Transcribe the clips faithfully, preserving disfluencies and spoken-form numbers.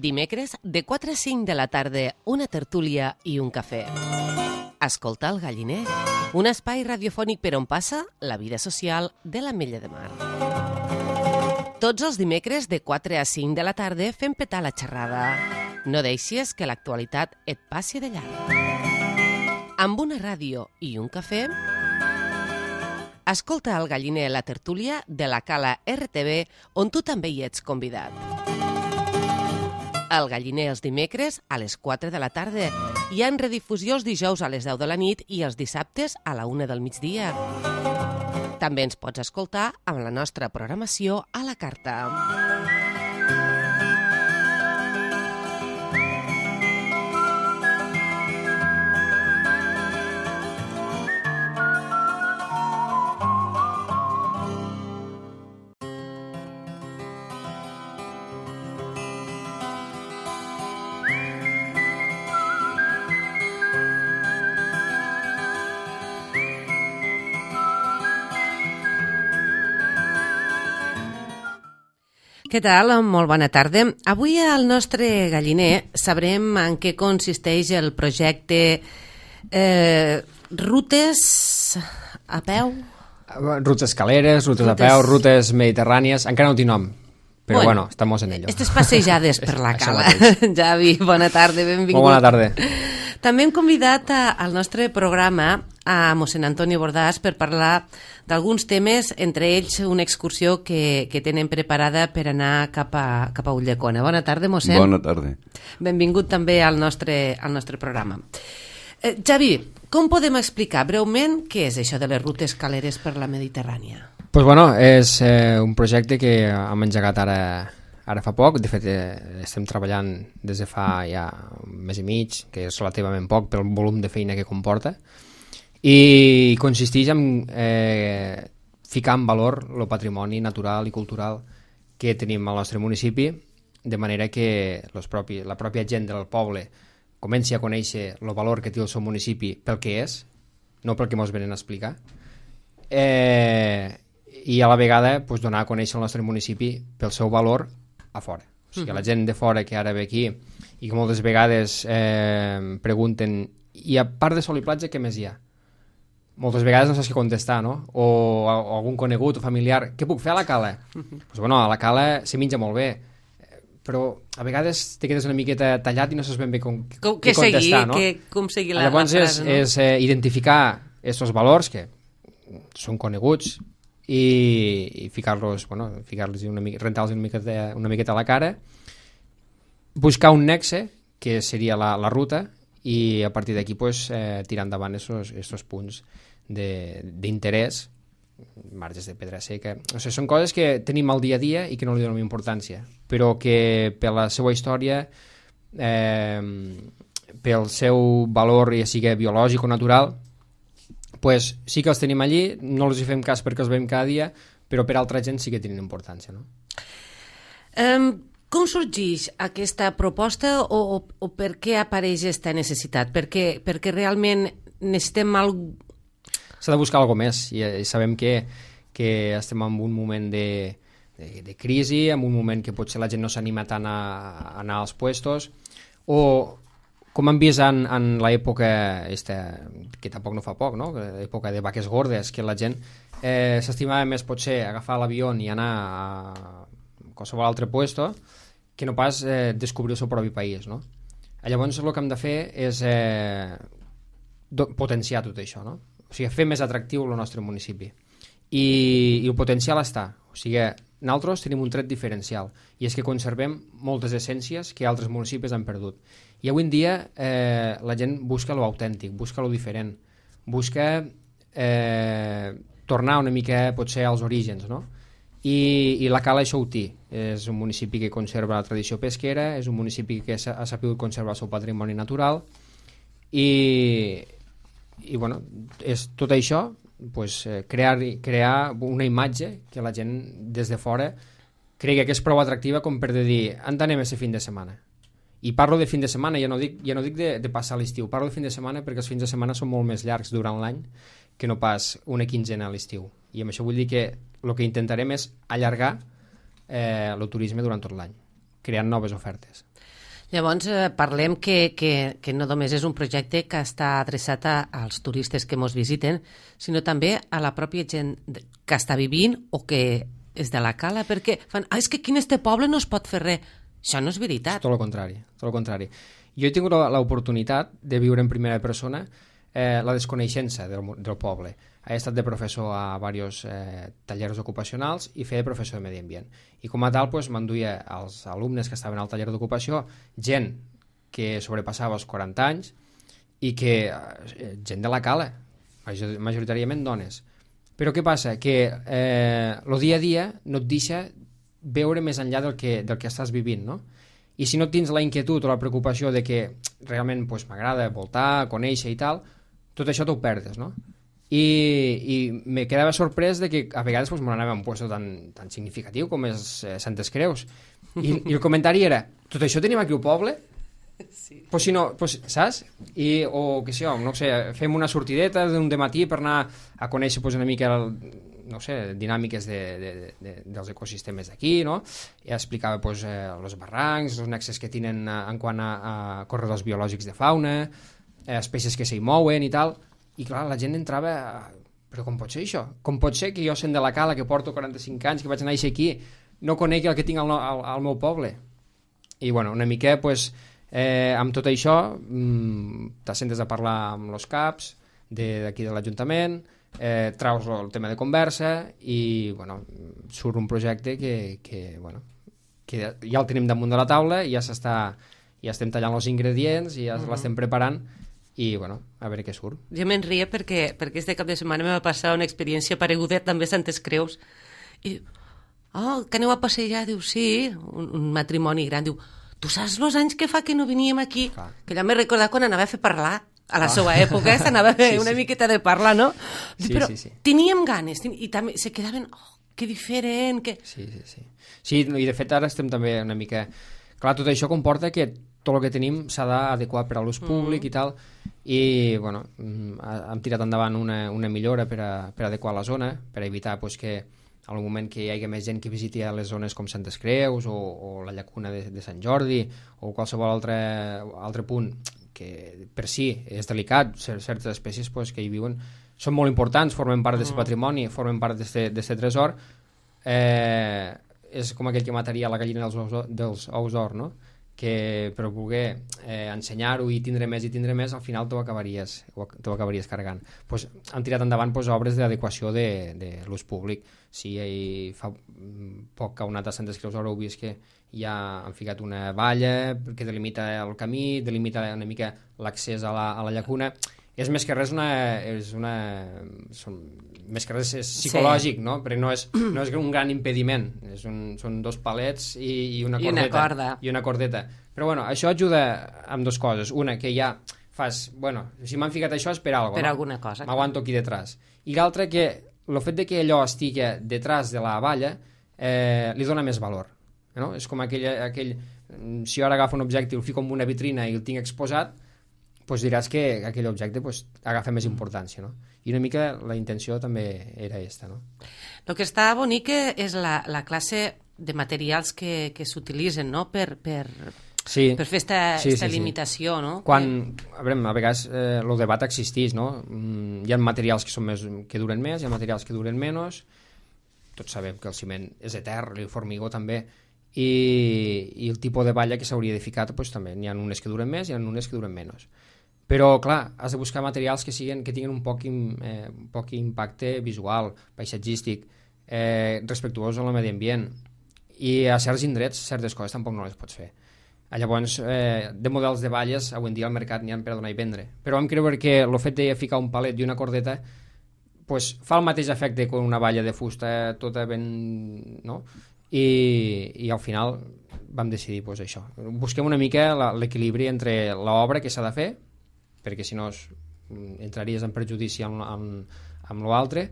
Dimecres, de quatre a cinc de la tarda, una tertúlia i un cafè. Escolta el Galliner, un espai radiofònic per on passa la vida social de l'Ametlla de Mar. Tots els dimecres, de quatre a cinc de la tarda, fem petar la xerrada. No deixis que l'actualitat et passi de llarg. Amb una ràdio i un cafè, escolta el Galliner, la tertúlia de la Cala R T V, on tu també hi ets convidat. El Galliner els dimecres a les quatre de la tarda. Hi ha en redifusió els dijous a les deu de la nit i els dissabtes a la una del migdia. També ens pots escoltar amb la nostra programació a la carta. Què tal? Molt bona tarda. Avui al nostre Galliner sabrem en què consisteix el projecte eh, Rutes a peu? Rutes escaleres, rutes, rutes a peu, rutes mediterrànies... Encara no té nom, però bueno, bueno estamos en ello. Estes passejades per la cala. Javi, bona tarda, benvingut. Molt bona tarda. També hem convidat a, al nostre programa a mossèn Antoni Bordàs per parlar d'alguns temes, entre ells una excursió que, que tenen preparada per anar cap a, cap a Ulldecona. Bona tarda, mossèn. Bona tarda. Benvingut també al nostre, al nostre programa. Eh, Javi, com podem explicar breument què és això de les rutes escaleres per la Mediterrània? Pues bueno, és eh, un projecte que hem engegat ara, ara fa poc. De fet, eh, estem treballant des de fa ja un mes i mig, que és relativament poc pel volum de feina que comporta. I consisteix en eh, ficar en valor el patrimoni natural i cultural que tenim al nostre municipi, de manera que los propi, la pròpia gent del poble comenci a conèixer el valor que té el seu municipi pel que és, no pel que ens venen a explicar, eh, i a la vegada pues, donar a conèixer el nostre municipi pel seu valor a fora. O sigui, uh-huh. La gent de fora que ara ve aquí i que moltes vegades eh, pregunten i a part de sol i platja què més hi ha? Moltes vegades no saps què contestar, no? O, o algun conegut o familiar, què puc fer a la cala? Uh-huh. Pues bueno, a la cala se menja molt bé, però a vegades te quedes una miqueta tallat i no saps ben bé com, com què contestar, seguir, no? Que, com seguir la, Llavors la frase, és, no? és eh, identificar aquests valors que són coneguts i, i ficar-los, bueno, ficar-los una mica, rentar-los una miqueta, una miqueta a la cara, buscar un nexe, que seria la, la ruta, i a partir d'aquí pues, eh, tirar endavant aquests punts d'interès, marges de pedra seca. O sigui, són coses que tenim al dia a dia i que no li donem importància, però que per la seva història, eh, pel seu valor, ja sigui biològic o natural, pues, sí que els tenim allí, no els hi fem cas perquè els veiem cada dia, però per altra gent sí que tenen importància. No? Um... Com sorgeix aquesta proposta o, o, o per què apareix aquesta necessitat? Perquè, perquè realment necessitem algo... S'ha de buscar alguna més i, i sabem que, que estem en un moment de, de, de crisi, en un moment que potser la gent no s'anima tant a, a anar als puestos, o com hem vist en, en l'època esta, que tampoc no fa poc, no? L'època de vaques gordes, que la gent eh, s'estimava més potser agafar l'avió i anar a qualsevol altre puesto que no pas eh, descobrir el seu propi país, no? Llavors el que hem de fer és eh, do, potenciar tot això, no? O sigui, fer més atractiu el nostre municipi i, i el potencial està, o sigui, nosaltres tenim un tret diferencial i és que conservem moltes essències que altres municipis han perdut i avui en dia eh, la gent busca lo autèntic, busca lo diferent, busca eh, tornar una mica potser als orígens, no? I, i la Cala això ho té. És un municipi que conserva la tradició pesquera, és un municipi que ha sabut conservar el seu patrimoni natural i, i bueno, és tot això pues, crear, crear una imatge que la gent des de fora cregui que és prou atractiva com per dir on anem aquest fin de setmana. I parlo de fin de setmana, ja no dic, ja no dic de, de passar l'estiu, parlo de fin de setmana perquè els fins de setmana són molt més llargs durant l'any que no pas una quinzena a l'estiu. I amb això vull dir que el que intentarem és allargar eh, el turisme durant tot l'any. creant noves ofertes. Llavors, eh, parlem que, que, que no només és un projecte que està adreçat a, als turistes que ens visiten, sinó també a la pròpia gent que està vivint o que és de la cala, perquè fan, ah, és que aquí en este poble no es pot fer res. Això no és veritat. És tot el contrari, tot el contrari. Jo he tingut l'oportunitat de viure en primera persona eh, la desconeixença del, del poble. He estat de professor a diversos eh, tallers ocupacionals i feia de professor de medi ambient. I com a tal, pues, m'enduia als alumnes que estaven al taller d'ocupació, gent que sobrepassava els quaranta anys i que eh, gent de la cala, majoritàriament dones. Però què passa? Que eh, el dia a dia no et deixa veure més enllà del que, del que estàs vivint, no? I si no tens la inquietud o la preocupació de que realment pues, m'agrada voltar, conèixer i tal, tot això t'ho perdes, no? I, i me quedava sorprès de que a vegades pues, me n'anava a un lloc tan, tan significatiu com és eh, Santes Creus. I, I el comentari era, tot això tenim aquí al poble? Sí. Pues si no, pues, saps? I, o què sé jo, no sé, fem una sortideta d'un dematí per anar a conèixer pues, una mica el, no sé, dinàmiques de, de, de, dels ecosistemes d'aquí, no? I explicava pues, eh, els barrancs, els nexes que tenen en quant a, a corredors biològics de fauna, eh, espècies que s'hi mouen i tal. I clar, la gent entrava, però com pot ser això? Com pot ser que jo sent de la cala, que porto quaranta-cinc anys, que vaig néixer aquí, no conegui el que tinc al, al, al meu poble? I bueno, una mica, pues, eh, amb tot això, mmm, t'assentes a parlar amb els caps d'aquí de, de l'Ajuntament, eh, traus el tema de conversa i bueno, surt un projecte que, que, bueno, que ja el tenim damunt de la taula i ja s'està, ja estem tallant els ingredients i ja mm-hmm. l'estem preparant i, bueno, a veure què surt. Jo me'n ria perquè, perquè este cap de setmana me va passar una experiència pareguda també a Santes Creus. I oh, que aneu a passejar? Diu, sí, un, un matrimoni gran. Diu, tu saps els anys que fa que no veníem aquí? Clar. Que ja m'he recordat quan anava a fer parlar. A la ah. seva època eh, s'anava a fer sí, una sí. miqueta de parlar, no? Diu, sí, però sí, sí. teníem ganes, ten... i també se quedaven, oh, que diferent, que... Sí, sí, sí. Sí, i de fet ara estem també una mica... Clar, tot això comporta que tot el que tenim s'ha d'adequar per a l'ús públic mm. i tal, i bueno, hem tirat endavant una, una millora per a, per a adequar la zona, per a evitar pues, que al moment que hi hagi més gent que visiti a les zones com Santes Creus o, o la llacuna de, de Sant Jordi o qualsevol altre, altre punt que per si és delicat, certes espècies pues, que hi viuen són molt importants, formen part d'aquest mm. patrimoni, formen part d'aquest tresor, eh, és com aquell que mataria la gallina dels ous, dels ous d'or, no? Que per voler eh, ensenyar-ho i tindre més i tindre més, al final t'ho acabaries, t'ho acabaries carregant. Pues, han tirat endavant pues, obres d'adequació de, de l'ús públic. Sí, hi fa poc que heu anat a Santes Creus haureu vist que ja han ficat una valla que delimita el camí, delimita una mica l'accés a, la, a la llacuna. És més que res una... És una són, més que res és psicològic, sí. no? Perquè no és, no és un gran impediment. És un, són dos palets i, i una I cordeta. Una corda. I una cordeta. Però bueno, això ajuda amb dues coses. Una, que ja fas... Bueno, si m'han ficat això és per alguna cosa. Per no? alguna cosa. M'aguanto aquí detrás. I l'altra, que el fet de que allò estigui detrás de la valla eh, li dona més valor. No? És com aquell, aquell... Si jo ara agafo un objecte i el fico en una vitrina i el tinc exposat, pues diràs que aquell objecte pues, agafa més importància, no? I una mica la intenció també era aquesta, no? El que està bonic és la, la classe de materials que, que s'utilitzen, no?, per, per, sí. per fer esta, sí, esta sí, limitació, sí. no? Quan, a veure, a vegades eh, el debat existeix, no? Mm, hi ha materials que, són més, que duren més, hi ha materials que duren menys, tots sabem que el ciment és etern, el formigó també, i, i el tipus de valla que s'hauria de ficar, pues, també n'hi ha unes que duren més i n'hi ha unes que duren menys. Però, clar, has de buscar materials que, siguin, que tinguin un poc, eh, un poc impacte visual, paisatgístic, eh, respectuós amb el medi ambient. I a certs indrets, certes coses tampoc no les pots fer. Llavors, eh, de models de valles, avui en dia al mercat n'hi ha per donar i vendre. Però vam creure que el fet de ficar un palet i una cordeta pues, fa el mateix efecte que una valla de fusta tota ben... no? I, i al final vam decidir pues, això. Busquem una mica l'equilibri entre l'obra que s'ha de fer, perquè si no entraries en perjudici amb, amb, amb l'altre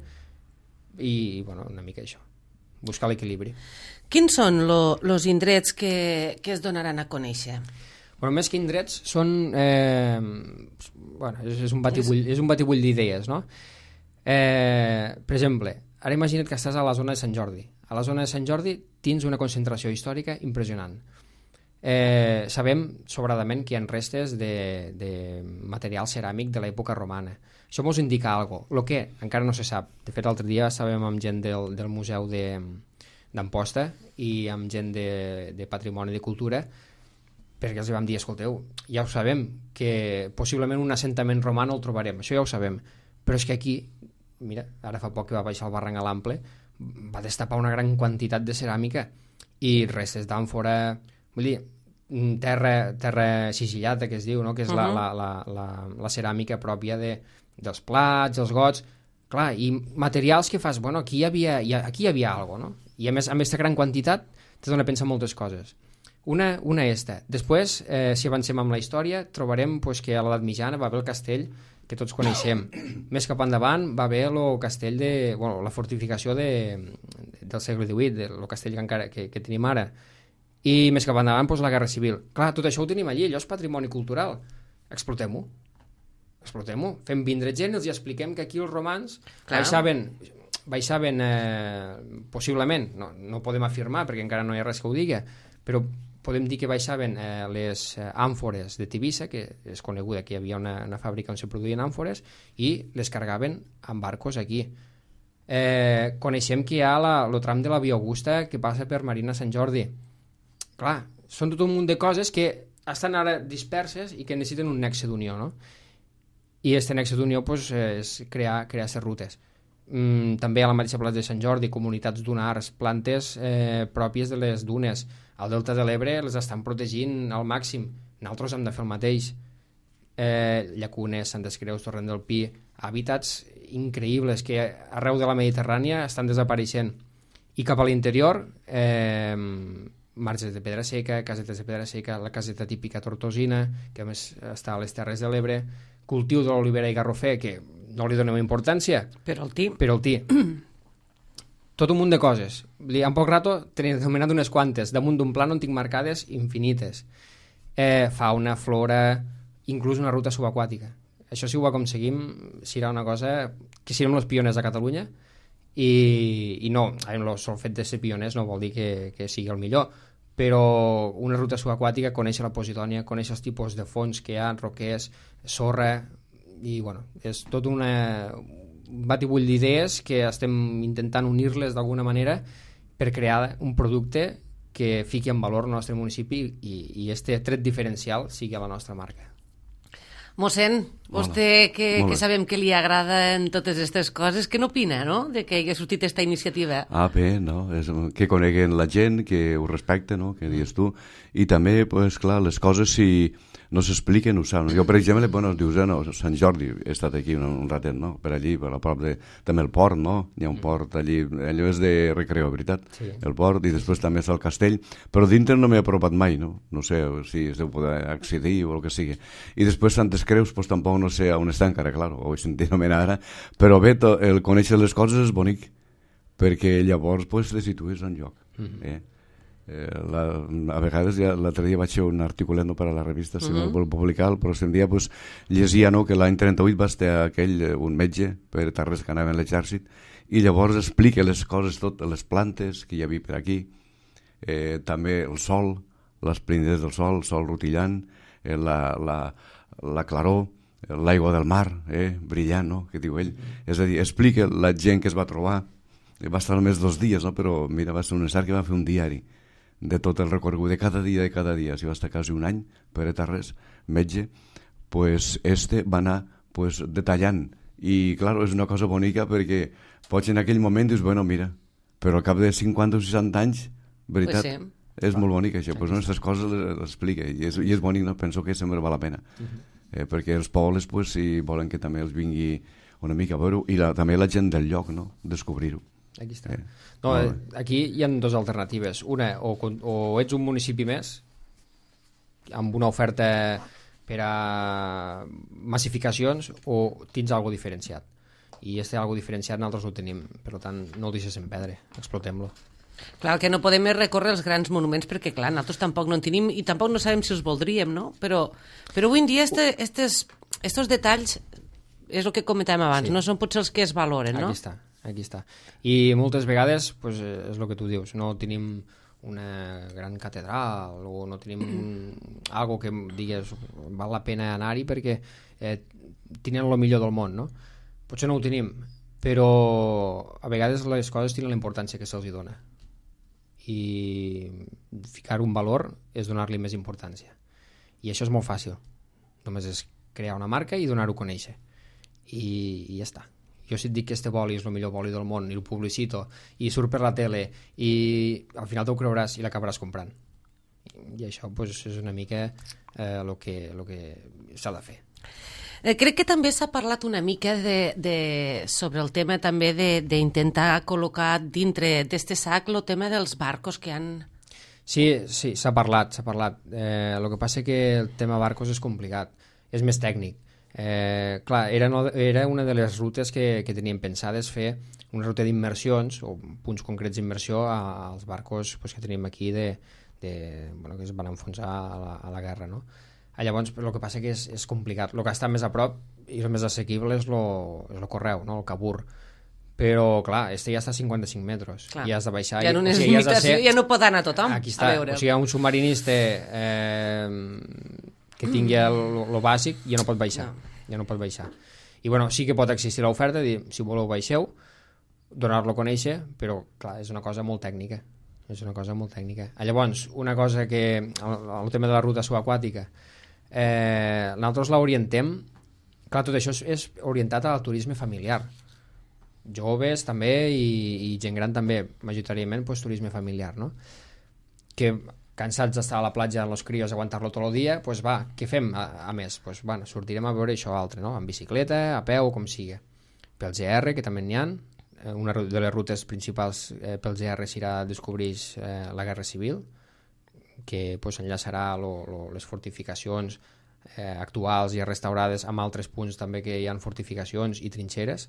i, bueno, una mica això, buscar l'equilibri. Quins són els indrets que, que es donaran a conèixer? Bueno, més que indrets són eh, bueno, és, és un batibull, és un batibull d'idees, no? Eh, per exemple, ara imagina't que estàs a la zona de Sant Jordi. A la zona de Sant Jordi tens una concentració històrica impressionant. Eh, sabem sobradament que hi ha restes de, de material ceràmic de l'època romana. Això ens indica alguna cosa. El que encara no se sap. De fet, l'altre dia estàvem amb gent del, del Museu de, d'Amposta i amb gent de, de Patrimoni de Cultura, perquè els vam dir, escolteu, ja ho sabem, que possiblement un assentament romà no el trobarem, això ja ho sabem, però és que aquí, mira, ara fa poc que va baixar el barranc a l'Ample, va destapar una gran quantitat de ceràmica i restes d'àmfora, vull dir, terra, terra sigillata, que es diu, no? Que és uh-huh. la, la, la, la, la ceràmica pròpia de, dels plats, els gots, clar, i materials que fas, bueno, aquí hi havia, hi ha, aquí hi havia alguna cosa, no? I a més, amb aquesta gran quantitat, te dona a pensar moltes coses. Una, una esta. Després, eh, si avancem amb la història, trobarem pues, que a l'edat mitjana va haver el castell que tots coneixem. Més cap endavant va haver el castell de... Bueno, la fortificació de, del segle divuit, el castell que, encara, que, que tenim ara. I més cap endavant, pues, la Guerra Civil. Clar, tot això ho tenim allí, allò és patrimoni cultural. Explotem-ho. Explotem-ho. Fem vindre gent, els expliquem que aquí els romans baixaven... baixaven eh, possiblement, no, no podem afirmar perquè encara no hi ha res que ho diga, però podem dir que baixaven eh, les eh, àmfores de Tivissa, que és coneguda que hi havia una, una fàbrica on se produïen àmfores, i les cargaven amb barcos aquí. Eh, coneixem que hi ha la, el tram de la Via Augusta que passa per Marina Sant Jordi. Clar, són tot un munt de coses que estan ara disperses i que necessiten un nexe d'unió, no? I aquest nexe d'unió pues, és crear, crear ces rutes. Mm, també a la mateixa plaça de Sant Jordi, comunitats dunars, plantes eh, pròpies de les dunes. Al Delta de l'Ebre les estan protegint al màxim. Nosaltres hem de fer el mateix. Eh, Llacunes, Santes Creus, Torrent del Pi, hàbitats increïbles que arreu de la Mediterrània estan desapareixent. I cap a l'interior, eh, marges de pedra seca, casetes de pedra seca, la caseta típica tortosina, que a més està a les Terres de l'Ebre, cultiu de l'olivera i garrofer, que no li donem importància. Però el tí. Però el tí. Tot un munt de coses. En poc rato tenia anomenat unes quantes. Damunt d'un pla on tinc marcades infinites. Eh, fauna, flora, inclús una ruta subaquàtica. Això si ho aconseguim serà una cosa que serem els pioners a Catalunya i, i no, el sol fet de ser pioners no vol dir que, que sigui el millor, però una ruta subaquàtica, conèixer la Posidònia, conèixer els tipus de fons que hi ha, roquers, sorra, i bueno, és tot una, un batibull d'idees que estem intentant unir-les d'alguna manera per crear un producte que fiqui en valor el nostre municipi i, i este tret diferencial sigui la nostra marca. Mossèn, vostè que, que sabem que li agraden totes aquestes coses, què n'opina, no?, de que hagi sortit aquesta iniciativa? Ah, bé, no? És, que coneguen la gent, que ho respecten, no?, que dius tu, i també, pues, clar, les coses si no s'expliquen, ho saben. Jo, per exemple, bueno, dius, no, Sant Jordi, he estat aquí un, un ratet, no?, per allí, per la prop de... També el port, no?, hi ha un port allí, allò és de recreo, veritat? Sí. El port, i després també està el castell, però dintre no m'he apropat mai, no? No sé si es deu poder accedir o el que sigui. I després Santes Creus, pues tampoc no sé on està encara, clar, ho he sentit anomenar ara, però bé, to, el conèixer les coses és bonic, perquè llavors pues, les situes en lloc. Mm-hmm. eh? Eh, la, a vegades ja l'altre dia vaig fer un articulet no, per a la revista si uh-huh. vol publicar, però si un dia pues, llegia no, que l'any trenta-vuit va estar aquell, un metge per Tarrés que anava en l'exèrcit i llavors explica les coses tot, les plantes que hi havia per aquí, eh, també el sol, les plindes del sol, el sol rutillant, eh, la, la, la claror, l'aigua del mar, eh, brillant, no? Que diu ell. Uh-huh. És a dir, explica la gent que es va trobar, va estar només dos dies, no? Però mira, va ser un necessari que va fer un diari de tot el recorregut de cada dia, de cada dia, si va estar quasi un any per Tarrés, metge, pues este va anar pues, detallant, i clar, és una cosa bonica perquè pots en aquell moment dius, bueno, mira, però al cap de cinquanta o seixanta anys, veritat, pues sí. És molt bonic això, pues, no, aquestes coses les explica, i és, i és bonic, no? Penso que sempre val la pena, uh-huh. eh, perquè els pobles, pues, si volen que també els vingui una mica a veure-ho, i la, també la gent del lloc, no? Descobrir-ho. Aquí està. Eh. No, aquí hi ha dues alternatives. Una, o, o ets un municipi més, amb una oferta per a massificacions, o tens algo diferenciat. I este algo diferenciat nosaltres ho tenim, per tant, no el deixes en perdre, explotem-lo. Clar, el que no podem és recórrer els grans monuments perquè, clar, nosaltres tampoc no en tenim i tampoc no sabem si els voldríem, no? Però, però avui en dia este, estes, estos detalls és el que comentàvem abans, sí. No són potser els que es valoren, no? Aquí està, aquí està. I moltes vegades, pues, és el que tu dius, no tenim una gran catedral o no tenim un, algo que digues val la pena anar-hi perquè eh, tenen el millor del món, no? Potser no ho tenim, però a vegades les coses tenen la importància que se'ls dona i ficar un valor és donar-li més importància, i això és molt fàcil, només és crear una marca i donar-ho a conèixer i, i ja està. Jo si et dic que este boli és el millor boli del món i el publicito i surt per la tele i al final t'ho creuràs i l'acabaràs comprant, i això pues, és una mica eh, el que, lo que s'ha de fer. Eh, crec que també s'ha parlat una mica de, de, sobre el tema també d'intentar col·locar dintre d'este sac el tema dels barcos que han... Sí, sí, s'ha parlat, s'ha parlat. Eh, el que passa que el tema barcos és complicat, és més tècnic. Eh, clar, era, no, era una de les rutes que, que teníem pensades fer una ruta d'immersions o punts concrets d'immersió als barcos pues, que tenim aquí de, de, bueno, que es van enfonsar a la, a la guerra, no? Llavors, el que passa que és, és complicat. El que està més a prop i el més assequible és el correu, no? El cabur. Però, clar, este ja està a cinquanta-cinc metres. Clar. I has de baixar. Ja, i, o sigui, ja, ser... ja no pot anar tothom aquí està. A veure. O sigui, un submarinista eh, que tingui el, el bàsic ja no pot baixar. No. Ja no pot baixar. I, bueno, sí que pot existir l'oferta, dir, si voleu baixeu, donar-lo a conèixer, però, clar, és una cosa molt tècnica. És una cosa molt tècnica. Llavors, una cosa que... El, el tema de la ruta subaquàtica, Eh, nosaltres l'orientem, clar, tot això és, és orientat al turisme familiar, joves també i, i gent gran també, majoritàriament pues, turisme familiar, no? Que cansats d'estar a la platja amb els crios, aguantar-lo tot el dia, pues va, què fem a, a més? Pues, bueno, sortirem a veure això altre, no? En bicicleta, a peu, com sigui. Pel G R, que també n'hi ha, una de les rutes principals eh, pel G R serà descobrir eh, la Guerra Civil, que pues, enllaçarà lo, lo, les fortificacions eh, actuals i restaurades amb altres punts també que hi ha fortificacions i trinxeres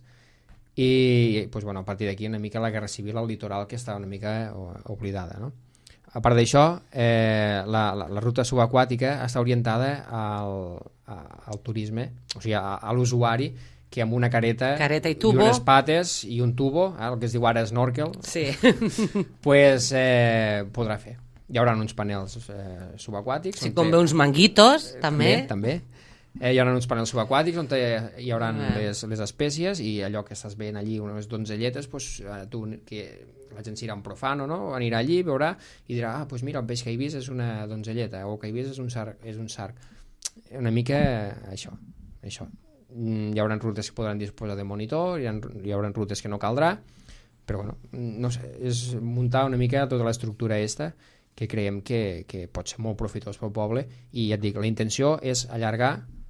i pues, bueno, a partir d'aquí una mica la Guerra Civil al litoral que està una mica oblidada, no? A part d'això, eh, la, la, la ruta subaquàtica està orientada al, a, al turisme, o sigui, a, a l'usuari que amb una careta, careta i, tubo. I unes pates i un tubo, eh, el que es diu ara snorkel, sí. pues, eh, podrà fer. Hi haurà uns panels eh, subaquàtics. Sí, com té... uns manguitos, eh, també. També, també. Eh, hi haurà uns panels subaquàtics on hi haurà ah. les, les espècies i allò que estàs veient allí, unes donzelletes, pues, eh, tu, que la gent serà un profano, no? Anirà allí, veurà i dirà, ah, pues mira, el peix que he vist és una donzelleta, o que he vist és un sarg. És un sarg. Una mica això. això. Hi haurà rutes que podran disposar de monitor, hi, ha, hi haurà rutes que no caldrà, però bueno, no sé, és muntar una mica tota l'estructura esta que creiem que, que pot ser molt profitós pel poble i ja et dic, la intenció és allargar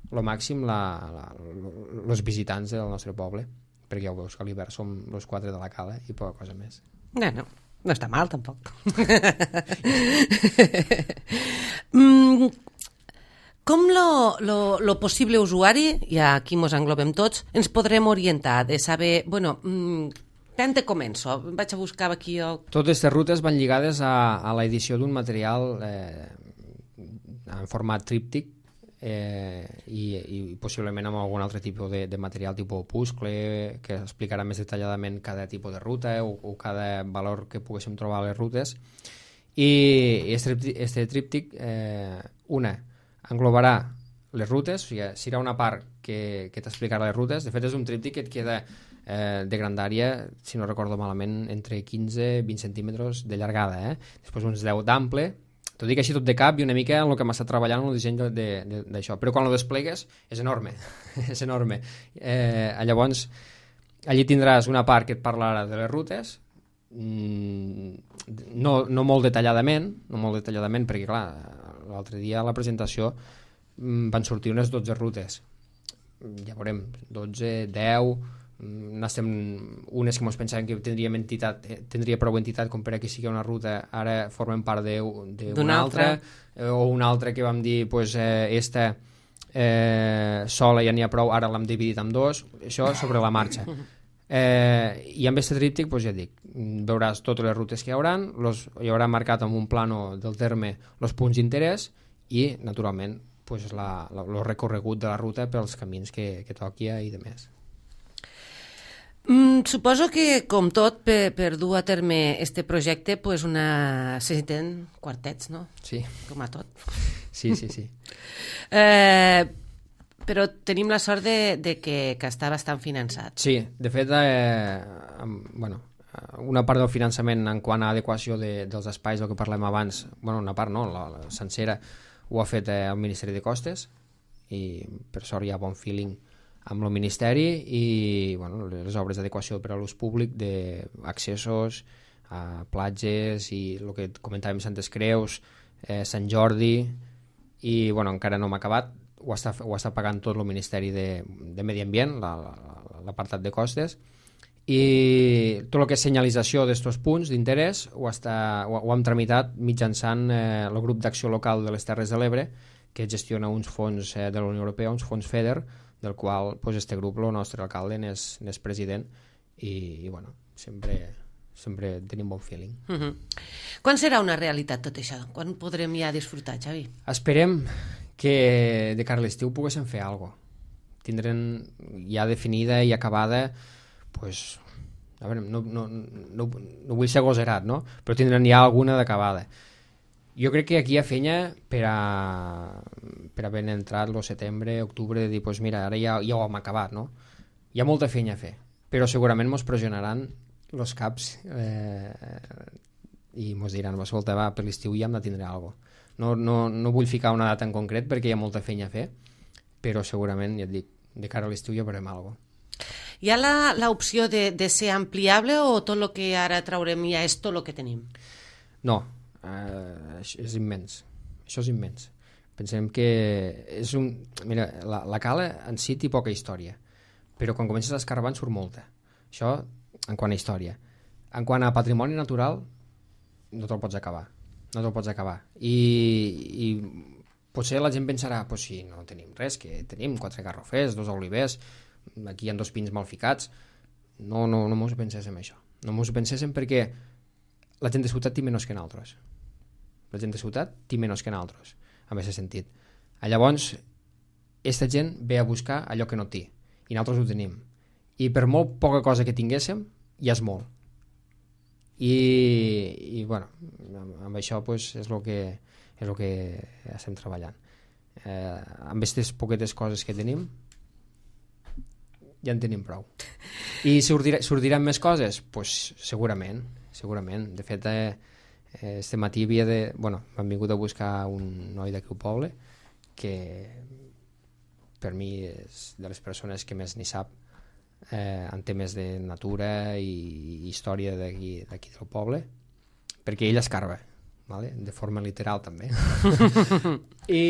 al màxim els visitants del nostre poble, perquè ja ho veus que a l'hivern som els quatre de la cala i poca cosa més. No, no, no està mal tampoc. mm, com lo, lo, lo possible usuari, i aquí mos englobem tots, ens podrem orientar de saber, bueno... Mm, tant te començo, vaig a buscar aquí el... Totes aquestes rutes van lligades a, a l'edició d'un material eh, en format tríptic eh, i, i possiblement amb algun altre tipus de, de material tipus opuscle que explicarà més detalladament cada tipus de ruta o, o cada valor que poguéssim trobar a les rutes i este tríptic eh, una, englobarà les rutes, o sigui, serà una part que, que t'explicarà les rutes. De fet és un tríptic que et queda Eh, de grandària, si no recordo malament, entre quinze i vint centímetres de llargada, eh? Després uns deu d'ample, t'ho dic així tot de cap i una mica en el que m'ha estat treballant en el disseny d'això, però quan ho desplegues és enorme, és enorme. Eh, llavors, allí tindràs una part que et parlarà de les rutes, mm, no, no molt detalladament, no molt detalladament, perquè clar, l'altre dia a la presentació mm, van sortir unes dotze rutes, ja veurem, dotze, deu... N'estem unes que ens pensàvem que tindria entitat, tindria prou entitat com per a que sigui una ruta, ara formen part d'una altra, eh, o una altra que vam dir pues, eh, esta eh, sola ja n'hi ha prou, ara l'hem dividit en dos, això sobre la marxa. Eh, i amb aquest tríptic, pues, ja dic, veuràs totes les rutes que hi haurà, los, hi haurà marcat amb un plano del terme els punts d'interès i, naturalment, pues, el recorregut de la ruta pels camins que, que toqui i de més. Mm, suposo que, com tot, per, per dur a terme este projecte, pues una... se necessiten quartets, no? Sí. Com a tot. Sí, sí, sí. eh, però tenim la sort de, de que, que està bastant finançat. Sí, de fet, eh, amb, bueno, una part del finançament en quant a adequació de, dels espais del que parlem abans, bueno, una part no, la, la sencera, ho ha fet eh, el Ministeri de Costes, i per sort hi ha bon feeling amb el Ministeri, i bueno, les obres d'adequació per a l'ús públic d'accessos a platges i el que comentàvem Santes Creus, eh, Sant Jordi, i bueno, encara no m'ha acabat, ho està, ho està pagant tot el Ministeri de, de Medi Ambient, l'apartat de costes, i tot el que és senyalització d'estos punts d'interès ho, està, ho, ho hem tramitat mitjançant eh, el grup d'acció local de les Terres de l'Ebre, que gestiona uns fons eh, de la Unió Europea, uns fons FEDER, del qual pues, este grup, el nostre alcalde, n'és, n'és president, i, i bueno, sempre, sempre tenim bon feeling. Uh -huh. Quan serà una realitat tot això? Quan podrem ja disfrutar, Xavi? Esperem que de cara a l'estiu poguéssim fer alguna cosa. Tindrem ja definida i acabada, pues, a veure, no, no, no, no vull ser agosarat, no? Però tindrem ja alguna d'acabada. Jo crec que aquí hi ha feina per a, per a haver entrat el setembre, octubre, de dir, pues mira, ara ja, ja ho hem acabat, no? Hi ha molta feina a fer, però segurament mos pressionaran els caps eh, i mos diran, escolta, va, per l'estiu ja hem de tindre alguna cosa. No, no, no vull ficar una data en concret perquè hi ha molta feina a fer, però segurament, ja et dic, de cara a l'estiu ja veurem alguna cosa. Hi ha l'opció de, de ser ampliable o tot el que ara traurem ja és tot el que tenim? No, uh, és immens. Això és immens. Pensem que és un... Mira, la, la cala en si té poca història, però quan comences a escarbar en surt molta. Això en quant a història. En quant a patrimoni natural, no te'l pots acabar. No te'l pots acabar. I, i potser la gent pensarà, pues sí, no tenim res, que tenim quatre garrofers, dos olivers, aquí hi ha dos pins mal ficats. No, no, no mos ho penséssim això. No mos ho penséssim perquè la gent de ciutat té menys que nosaltres. La gent de ciutat té menys que nosaltres, en aquest sentit. Llavors, aquesta gent ve a buscar allò que no té, i nosaltres ho tenim. I per molt poca cosa que tinguéssim, ja és molt. I, i bueno, amb, amb això pues, és el que, és el que estem treballant. Eh, amb aquestes poquetes coses que tenim, ja en tenim prou. I sortirà, sortiran més coses? Pues segurament, segurament. De fet, eh, este matí havia de... Bueno, m'han vingut a buscar un noi d'aquí al poble que per mi és de les persones que més n'hi sap eh, en temes de natura i, i història d'aquí d'aquí del poble, perquè ell escarba, vale? De forma literal també. I,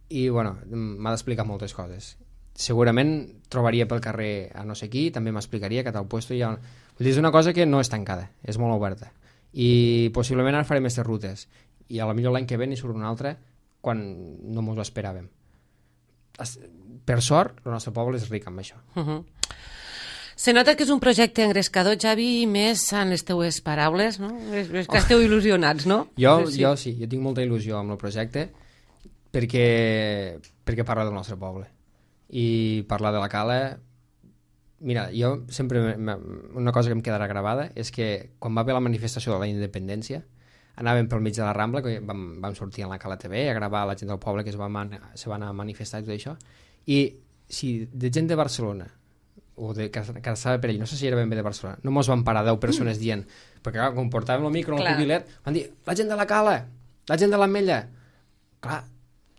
i bueno, m'ha d'explicar moltes coses. Segurament trobaria pel carrer a no sé qui, també m'explicaria que a tal puesto hi ha... Vull dir, és una cosa que no és tancada, és molt oberta. I possiblement ara farem aquestes rutes. I a la millor l'any que ve n'hi surt una altra quan no mos ho esperàvem. Per sort, el nostre poble és ric amb això. Uh -huh. Se nota que és un projecte engrescador, Xavi, i més en les teues paraules, no? És, és que esteu il·lusionats, no? Jo sí, sí. jo sí, jo tinc molta il·lusió amb el projecte perquè, perquè parla del nostre poble. I parlar de la cala... Mira, jo sempre... Una cosa que em quedarà gravada és que quan va haver la manifestació de la independència anàvem pel mig de la Rambla, que vam, vam sortir a la Cala T V a gravar la gent del poble que es va, man, se va anar a manifestar i tot això, i si de gent de Barcelona o de, que, que estava per allà, no sé si era ben bé de Barcelona, no mos van parar deu persones dient, perquè clar, quan portàvem el micro en el cubilet, van dir, la gent de la Cala, la gent de l'Ametlla. Clar,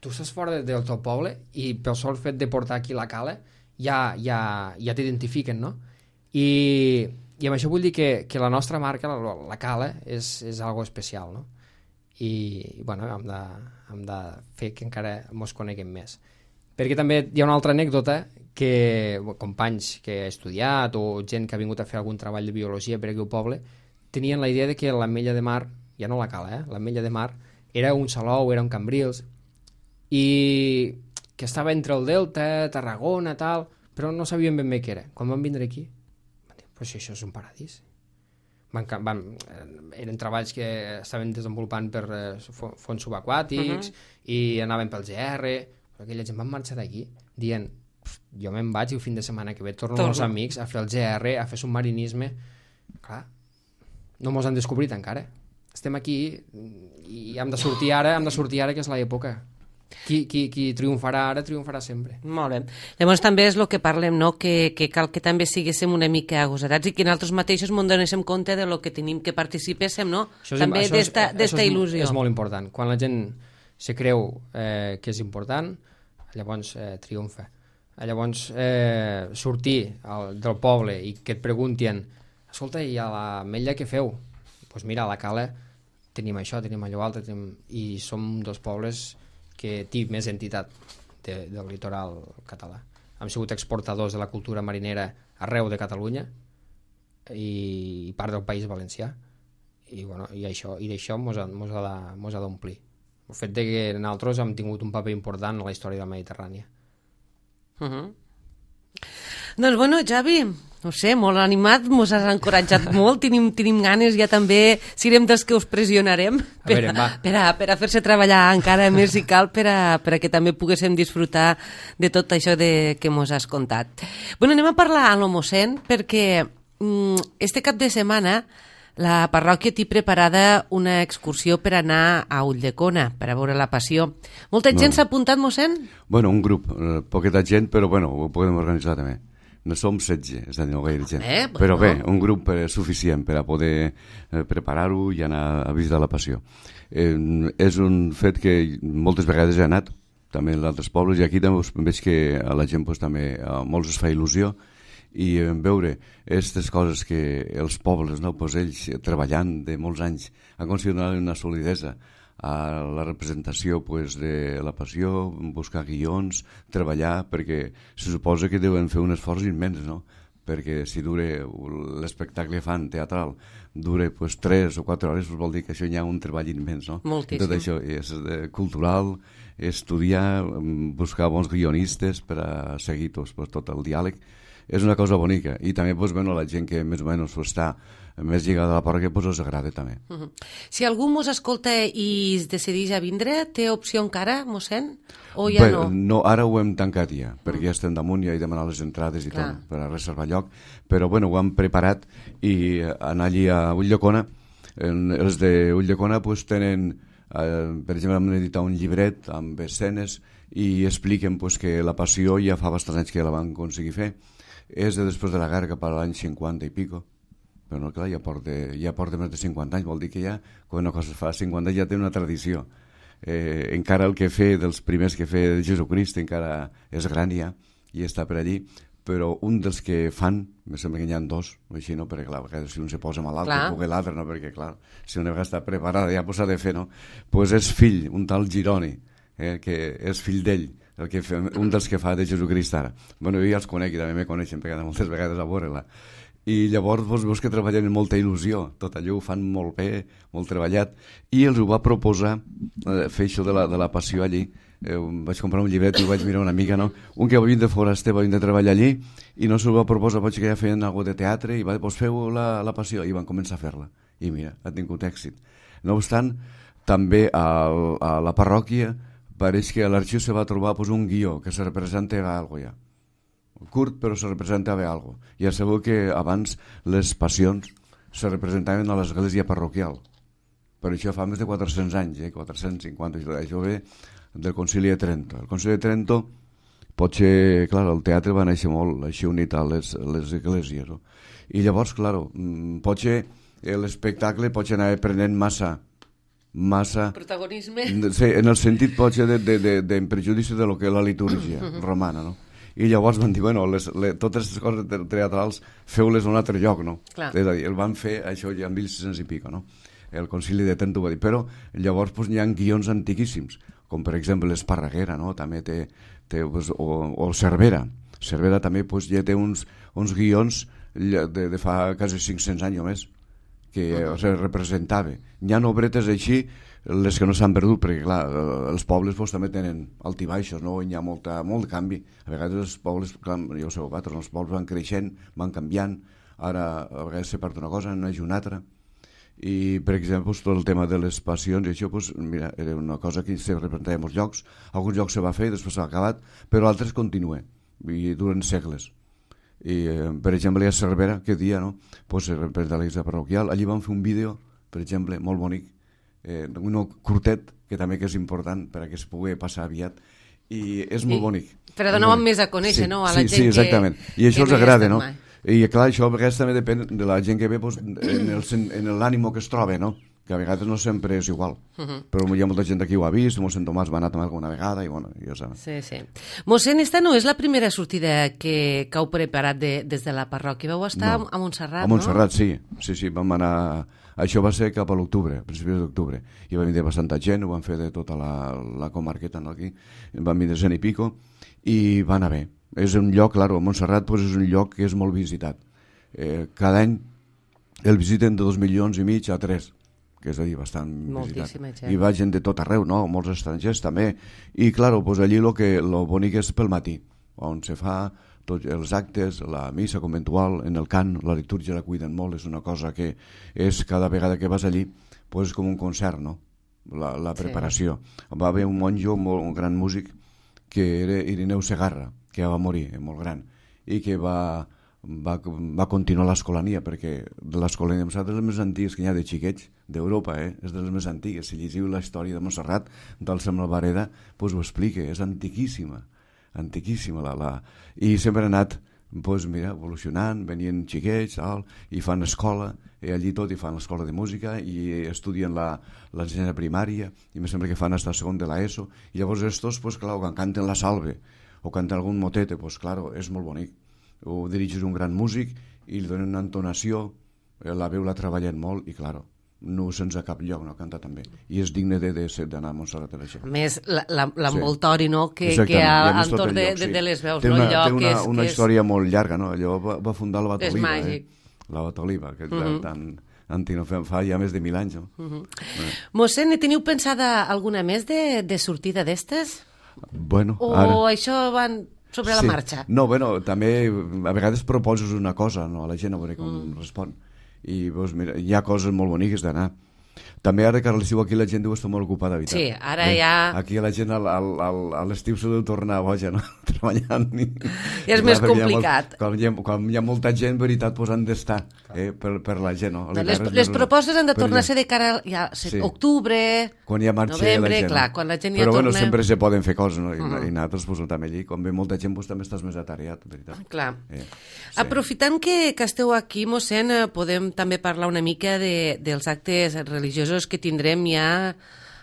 tu estàs fora de, del teu poble i pel sol fet de portar aquí la Cala ja, ja, ja t'identifiquen, no? I, i amb això vull dir que, que la nostra marca, la, la Cala, és, és algo especial, no? I, bueno, hem de, hem de fer que encara mos coneguem més. Perquè també hi ha una altra anècdota que companys que he estudiat o gent que ha vingut a fer algun treball de biologia per aquí al poble tenien la idea de que l'Ametlla de Mar, ja no la Cala, eh? L'Ametlla de Mar era un Salou, era un Cambrils, i que estava entre el Delta, Tarragona, tal, però no sabien ben bé què era. Quan van vindre aquí, van dir, però si això és un paradís. Van, van, eren treballs que estaven desenvolupant per eh, fons subaquàtics, uh -huh. i anaven pel G R, però aquella gent van marxar d'aquí dient, jo me'n vaig i el fin de setmana que ve torno Torno. amb els amics a fer el G R, a fer submarinisme. Clar, no mos han descobrit encara. Estem aquí i hem de sortir ara, hem de sortir ara, que és l'època. Qui, qui, qui triomfarà ara, triomfarà sempre. Molt bé. Llavors també és el que parlem, no? que, que cal que també siguéssim una mica agosarats i que nosaltres mateixos ens donéssim compte de lo que tenim que participéssim, no? Això és, també això és- d'esta això d'esta és- il·lusió. És molt important. Quan la gent se creu eh, que és important, llavors eh, triomfa. Llavors eh, sortir al, del poble i que et preguntin, escolta, i a l'Ametlla què feu? Doncs pues mira, a la Cala tenim això, tenim allò altre, tenim... i som dos pobles que té més entitat de, del litoral català. Hem sigut exportadors de la cultura marinera arreu de Catalunya i part del País Valencià, i, bueno, i això i d'això mos ha, mos ha de- mos ha d'omplir. El fet de que nosaltres hem tingut un paper important en la història de la Mediterrània. Uh -huh. Doncs bueno, Javi, no sé, molt animat, mos has encoratjat molt, tenim, tenim ganes, ja també serem dels que us pressionarem per a, veure, va. per a, per a fer-se treballar encara més si cal, per a, per a que també poguéssim disfrutar de tot això de, que mos has contat. Bueno, anem a parlar amb el mossèn, perquè mm, este cap de setmana la parròquia té preparada una excursió per anar a Ulldecona, per a veure la Passió. Molta gent No. s'ha apuntat, mossèn? Bueno, un grup, eh, poqueta gent, però bueno, ho podem organitzar també. No som setze, és a dir, no gaire gent. Bé, bueno. Però bé, un grup eh, suficient per a poder eh, preparar-ho i anar a visitar la Passió. Eh, és un fet que moltes vegades he anat, també en altres pobles, i aquí també us- veig que a la gent pues, també a molts es fa il·lusió, i eh, veure aquestes coses que els pobles, no, pues ells eh, treballant de molts anys han aconseguit donar una solidesa a la representació pues, de la Passió, buscar guions, treballar, perquè se suposa que deuen fer un esforç immens, no? Perquè si dure l'espectacle fan teatral dure pues, tres o quatre hores, pues, vol dir que això hi ha un treball immens, no? Moltíssim. Tot això és eh, cultural, estudiar, mm, buscar bons guionistes per a seguir tots, pues, tot el diàleg. És una cosa bonica, i també pues, bueno, la gent que més o menys pues, està més lligada a la parròquia pues, els agrada també. Uh -huh. Si algú mos escolta i es decideix a vindre, té opció encara, mossèn? O ja Bé, no? no, ara ho hem tancat ja, perquè ja estem damunt, ja he demanat les entrades i Clar. tot per a reservar lloc, però bueno, ho hem preparat i eh, anar allí a Ulldecona, en, els de Ulldecona pues, tenen, eh, per exemple, hem editat un llibret amb escenes i expliquen pues, que la Passió ja fa bastants anys que la van aconseguir fer, és de després de la guerra cap a l'any cinquanta i pico, però no, clar, ja porta, ja porta més de cinquanta anys, vol dir que ja, quan una cosa es fa cinquanta anys ja té una tradició. Eh, encara el que fe dels primers que fe de Jesucrist encara és gran ja i està per allí, però un dels que fan, me sembla que n'hi ha dos, així, no? Perquè clar, a vegades si un se posa malalt, Clar. que pugui l'altre, no? Perquè clar, si una vegada està preparada ja pues, s'ha de fer, no? Pues és fill, un tal Gironi, eh, que és fill d'ell, el que fa, un dels que fa de Jesucrist ara. Bueno, jo ja els conec i també me coneixen, perquè he anat moltes vegades a veure-la. I llavors vos veus que treballen amb molta il·lusió, tot allò ho fan molt bé, molt treballat, i els ho va proposar eh, fer això de la, de la Passió allí. Eh, vaig comprar un llibret i ho vaig mirar una mica, no? Un que venint de foraster va venir de treballar allí i no se'l va proposar, potser que ja feien alguna de teatre i va dir, pues feu la, la Passió, i van començar a fer-la. I mira, ha tingut èxit. No obstant, també a, a la parròquia pareix que a l'arxiu se va trobar pues, un guió que se representa algo ja. Curt, però se representava algo. Ja sabeu que abans les passions se representaven a l'església parroquial. Per això fa més de quatre-cents anys, eh? quatre-cents cinquanta, això ve del Concili de Trento. El Concili de Trento, potser, clar, el teatre va néixer molt així unit a les, les esglésies, no? I llavors, clar, potser l'espectacle potser anava prenent massa massa... Protagonisme. Sí, en el sentit potser de, de, de, de prejudici de lo que és la litúrgia romana, no? I llavors van dir, bueno, les, les, totes aquestes coses teatrals feu-les a un altre lloc, no? Clar. És a dir, el van fer això ja en mil sis-cents i pico, no? El Concili de Trento va dir, però llavors pues, hi ha guions antiquíssims, com per exemple l'Esparreguera, no? També té, té pues, o, o Cervera. Cervera també pues, ja té uns, uns guions de, de fa quasi cinc-cents anys o més, que uh -huh. se representava. Hi ha obretes així, les que no s'han perdut, perquè clar, els pobles pues, també tenen altibaixos, no? Hi ha molta, molt canvi. A vegades els pobles, clar, ja ho sabeu, vosaltres, els pobles van creixent, van canviant, ara a vegades se perd una cosa, no hi ha una altra. I, per exemple, pues, tot el tema de les passions, i això pues, mira, era una cosa que se representava en molts llocs, alguns llocs se va fer, després s'ha acabat, però altres continuen. i duren segles. I, eh, per exemple, a Cervera, aquest dia, no? Pues, per de l'església parroquial, allí vam fer un vídeo, per exemple, molt bonic, eh, un curtet, que també que és important per a que es pugui passar aviat, i és molt I, bonic. Per a donar més a conèixer, sí, no?, a la sí, gent sí, exactament. que... I això que els no agrada, no? Mai. I clar, això a vegades també depèn de la gent que ve pues, en el, en l'ànimo que es troba, no? Que a vegades no sempre és igual. Uh -huh. Però hi ha molta gent aquí ho ha vist, mossèn Tomàs va anar també alguna vegada i bueno, ja saps. Sí, sí. Mossèn, esta no és la primera sortida que, que heu preparat de, des de la parròquia. Vau estar no. a Montserrat, no? A Montserrat, no? sí. Sí, sí, vam anar... Això va ser cap a l'octubre, a principis d'octubre. I va venir bastanta gent, ho van fer de tota la, la comarqueta no, aquí. Van venir cent i pico i va anar bé. És un lloc, claro, Montserrat pues, és un lloc que és molt visitat. Eh, cada any el visiten de dos milions i mig a tres, que és a dir, bastant moltíssima visitat. Gent. I va gent de tot arreu, no? Molts estrangers també. I, claro, pues, allí lo que lo bonic és pel matí, on se fa tots els actes, la missa conventual, en el cant, la litúrgia la cuiden molt, és una cosa que és cada vegada que vas allí, pues, com un concert, no? La, la preparació. Sí. Va haver un monjo, molt, un gran músic, que era Irineu Segarra, que va morir, molt gran, i que va, va, va continuar l'escolania, perquè l'escolania de Montserrat és de les més antigues que hi ha de xiquets d'Europa, eh? És de les més antigues. Si llegiu la història de Montserrat, del Sem Albareda, pues ho explica, és antiquíssima, antiquíssima. La, la... I sempre ha anat pues, mira, evolucionant, venien xiquets, tal, i fan escola, i allí tot, i fan l'escola de música, i estudien l'ensenyament primària, i me sembla que fan hasta segon de l'ESO, i llavors estos, pues, clar, quan canten la salve, o canten algun motete, pues, claro, és molt bonic. Ho dirigeix un gran músic, i li donen una entonació, la veu la treballen molt, i, claro, no sense cap lloc, no canta també. I és digne d'anar a Montserrat per això. A més, l'envoltori, sí. no?, que, que hi ha entorn de, lloc, sí. de les veus, té no? Una, El lloc té una, és, una és... història molt llarga, no? Allò va, va fundar la Batoliva. És màgic. Eh? La Batoliva, que és uh -huh. tan antic, fa ja més de mil anys. No? Uh -huh. eh. Mossèn, teniu pensada alguna més de, de sortida d'estes? Bueno, o ara... això van sobre la sí. marxa? No, bueno, també a vegades proposes una cosa, no? A la gent a veure com mm. respon. I doncs, mira, hi ha coses molt boniques d'anar. També ara que a l'estiu aquí la gent deu estar molt ocupada, veritat. Sí, ara eh? ja... Aquí la gent al, al, al, a l'estiu se deu tornar boja, no? Treballant. I, ja és i més clar, complicat. Hi molt, quan, hi ha, quan hi ha molta gent, veritat, doncs han d'estar eh? per, per la gent, no? Les, les propostes han de tornar a ser de cara a ja, sí. octubre, quan ja marxa novembre, la gent. clar, quan la gent ja Però torna... bueno, sempre se poden fer coses, no? I, uh -huh. i nosaltres pues, també allí, quan ve molta gent, pues, també estàs més atareat, veritat. Clar. Eh, sí. Aprofitant que, que esteu aquí, mossèn, podem també parlar una mica de, dels actes religiosos que tindrem ja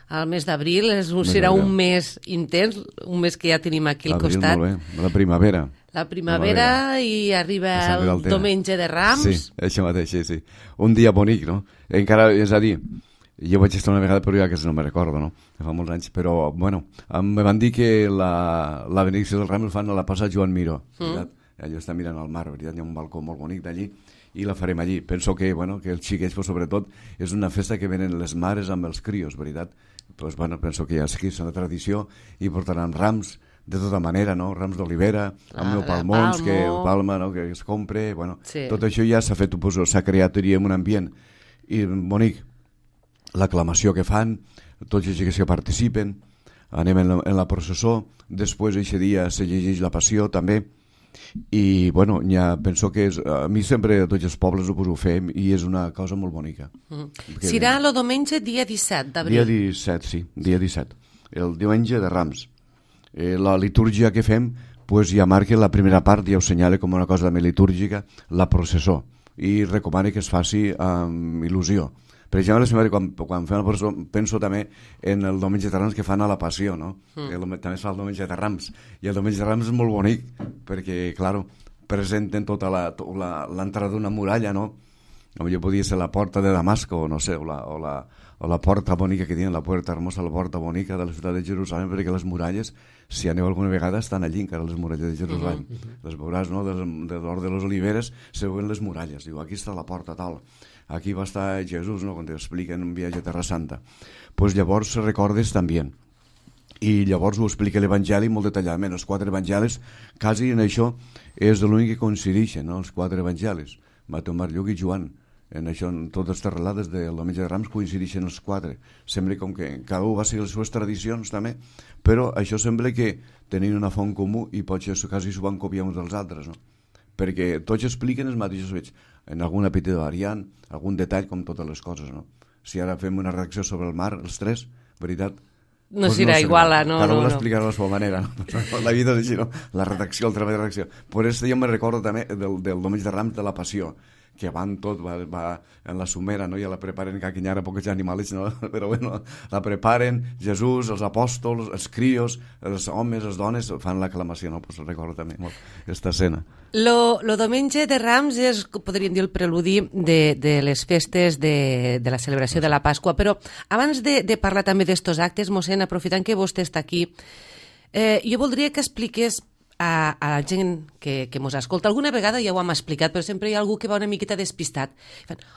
al mes d'abril. Serà un mes intens, un mes que ja tenim aquí al costat. Molt bé, la primavera. La primavera i arriba el diumenge de Rams. Sí, això mateix, sí, sí. Un dia bonic, no? Encara, és a dir, jo vaig estar una vegada, però ja que no me recordo, no? Fa molts anys, però, bueno, em van dir que la, la benedicció del Rams el fan a la plaça Joan Miró, veritat? Mm. Allò està mirant al mar, veritat? Hi ha un balcó molt bonic d'allí, i la farem allí. Penso que, bueno, que els xiquets, pues, sobretot, és una festa que venen les mares amb els crios, veritat? Pues, bueno, penso que ja és una tradició, i portaran rams, de tota manera, no? Rams d'olivera, amb el palmons, que el palma, no? Que es compre, bueno, sí. Tot això ja s'ha fet, pues, s'ha creat, diríem, un ambient i bonic. L'aclamació que fan, tots els xiquets que participen, anem en la, en la processó, després aquest dia se llegeix la passió també, i bueno, ja penso que és, a mi sempre a tots els pobles ho, pues, ho fem i és una cosa molt bonica. Mm. Serà el diumenge dia disset d'abril. Dia disset, sí, dia disset, el diumenge de Rams. Eh, la litúrgia que fem pues, ja marca la primera part, ja ho senyala com una cosa també litúrgica, la processó, i recomana que es faci amb il·lusió. Per exemple, quan, quan fem la processó, penso també en el diumenge de Rams que fan a la Passió, no? Mm. El, també es fa el diumenge de Rams, i el diumenge de Rams és molt bonic, perquè, clar, presenten tota l'entrada d'una muralla, no? Potser podria ser la porta de Damasco, o no sé, o la, o la, o la porta bonica que diuen, la puerta hermosa, la porta bonica de la ciutat de Jerusalem, perquè les muralles, si aneu alguna vegada, estan allí encara les muralles de Jerusalem. Uh -huh. Les veuràs, no?, de, de l'Hort de les Oliveres, se veuen les muralles. Diu, aquí està la porta tal, aquí va estar Jesús, no?, quan t'expliquen un viatge a Terra Santa. Pues llavors recordes també. I llavors ho explica l'Evangeli molt detalladament. Els quatre evangelis, quasi en això, és l'únic que coincideixen, no?, els quatre evangelis, Mateu, Marc, Lluc i Joan. en això, en totes les relades del Diumenge de Rams coincideixen els quatre. Sembla com que cada un va seguir les seves tradicions també, però això sembla que tenien una font comú i potser quasi s'ho van copiar uns dels altres, no? Perquè tots expliquen els mateixos fets, en alguna petita variant, algun detall, com totes les coses, no? Si ara fem una reacció sobre el mar, els tres, veritat, no pues serà no igual, no? Cada un no, l'explicarà no. a la seva manera, no? La vida és així, no? La redacció, el treball de redacció. Per això jo me recordo també del, del Diumenge de Rams de la Passió, que van tot, va, va en la sumera, no? Ja la preparen, que aquí hi ha pocs animals, no? Però bueno, la preparen, Jesús, els apòstols, els crios, els homes, les dones, fan l'aclamació, no? Pues recordo també molt aquesta escena. Lo, lo Diumenge de Rams és, podríem dir, el preludi de, de les festes de, de la celebració de la Pasqua, però abans de, de parlar també d'estos actes, mossèn, aprofitant que vostè està aquí, eh, jo voldria que expliqués a, a la gent que, que mos escolta. Alguna vegada ja ho hem explicat, però sempre hi ha algú que va una miqueta despistat.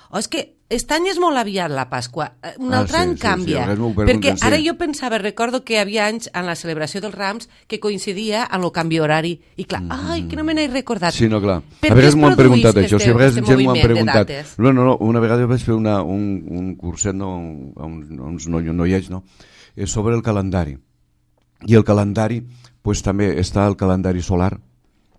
Oh, és que aquest any és molt aviat la Pasqua, un ah, altre sí, any sí, canvia, sí, perquè sí. ara jo pensava, recordo que hi havia anys en la celebració dels Rams que coincidia amb el canvi horari, i clar, mm. ai, que no me n'he recordat. Sí, no, clar. Per a vegades m'ho han preguntat això, si a vegades gent m'ho han preguntat. No, no, no, una vegada jo vaig fer una, un, un curset, no, un, uns noiets, no, sobre el calendari. I el calendari, pues també està el calendari solar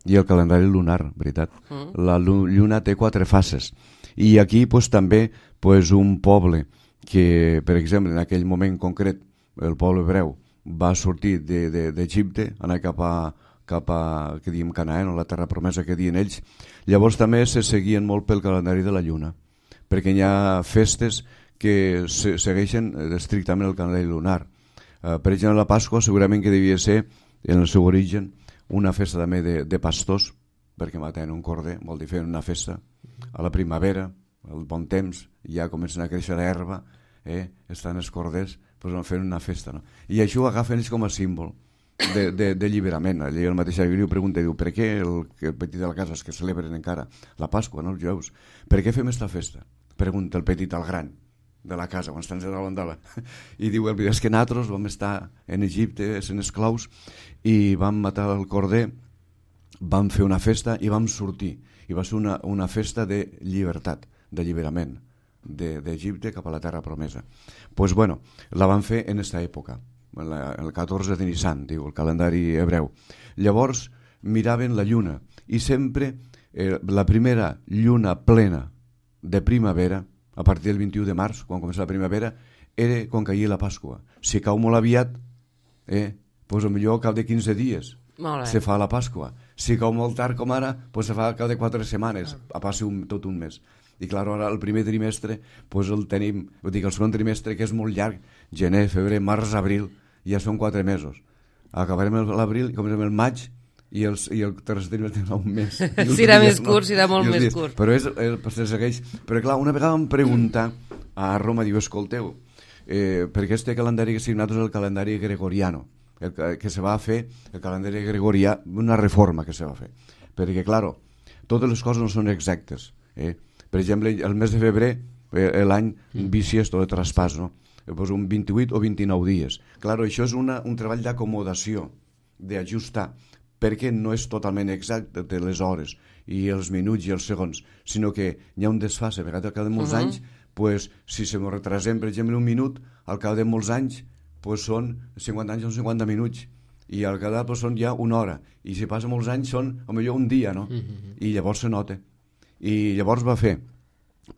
i el calendari lunar, veritat. Mm. La lluna té quatre fases. I aquí pues, també pues, un poble que, per exemple, en aquell moment concret, el poble hebreu va sortir d'Egipte, de, de, anar cap a, cap a que diem Canaán, o la terra promesa que diuen ells. Llavors també se seguien molt pel calendari de la lluna, perquè hi ha festes que se segueixen estrictament el calendari lunar. Uh, per exemple, la Pasqua segurament que devia ser, en el seu origen, una festa també de, de pastors, perquè maten un corder, vol dir fer una festa a la primavera, el bon temps, ja comencen a créixer l'herba, eh? Estan els corders, doncs van fer una festa, no? I això ho agafen ells com a símbol de, de, de alliberament. Allà el mateix Aguirre pregunta, diu, per què el, el petit de la casa, els que celebren encara la Pasqua, no, els jueus, per què fem esta festa? Pregunta el petit al gran de la casa, quan estan a l'andala. I diu, és que nosaltres vam estar en Egipte, sent esclaus, i vam matar el corder, vam fer una festa i vam sortir. I va ser una, una festa de llibertat, d'alliberament d'Egipte cap a la terra promesa. Doncs, pues, bueno, la van fer en aquesta època, la, el catorze de Nissan, diu, el calendari hebreu. Llavors miraven la lluna i sempre eh, la primera lluna plena de primavera, a partir del vint-i-u de març, quan comença la primavera, era quan caia la Pasqua. Si cau molt aviat, eh, doncs potser al cap de quinze dies se fa la Pasqua. Si cau molt tard com ara, doncs se fa al cap de quatre setmanes, a passi un, tot un mes. I clar, ara el primer trimestre doncs el tenim, vull dir que el segon trimestre, que és molt llarg, gener, febrer, març, abril, ja són quatre mesos. Acabarem l'abril i comencem el maig, i, els, i el tercer trimestre tindrà un mes. Si era més curt, si era molt més curt. Però és, se segueix. Però clar, una vegada em pregunta a Roma, diu, escolteu, eh, perquè este calendari que signat és el calendari gregoriano, el que, que se va fer, el calendari gregorià, una reforma que se va fer. Perquè, clar, totes les coses no són exactes. Eh? Per exemple, el mes de febrer, eh, l'any bisiesto de traspàs, no? Pues un vint-i-vuit o vint-i-nou dies. Clar, això és una, un treball d'acomodació, d'ajustar, perquè no és totalment exacte de les hores i els minuts i els segons, sinó que hi ha un desfase. A vegades al cap de molts uh-huh. anys, pues, si se m'ho retrasem, per exemple, un minut, al cap de molts anys pues, són cinquanta anys, són cinquanta minuts, i al cap de pues, són ja una hora, i si passa molts anys són, potser un dia, no? Uh-huh. I llavors se nota. I llavors va fer,